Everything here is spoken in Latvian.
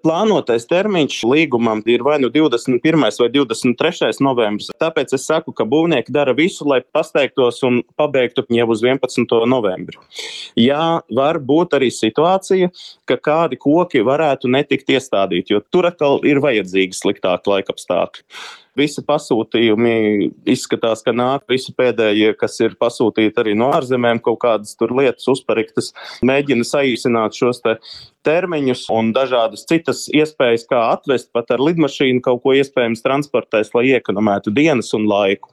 Plānotais termiņš līgumam ir vai nu 21. vai 23. novembris. Tāpēc es saku, ka būvnieki dara visu, lai pasteigtos un pabeigtu jau uz 11. novembri. Jā, var būt arī situācija, ka kādi koki varētu netikt iestādīti, jo tur atkal ir vajadzīgi sliktāki laikapstākļi. Visi pasūtījumi izskatās, ka nāk visi pēdējie, kas ir pasūtīti arī no ārzemēm, kaut kādas tur lietas uzpariktas, mēģina saīsināt šos termiņus un dažādas citas iespējas, kā atvest pat ar lidmašīnu kaut ko iespējams transportēs, lai iekonomētu dienas un laiku.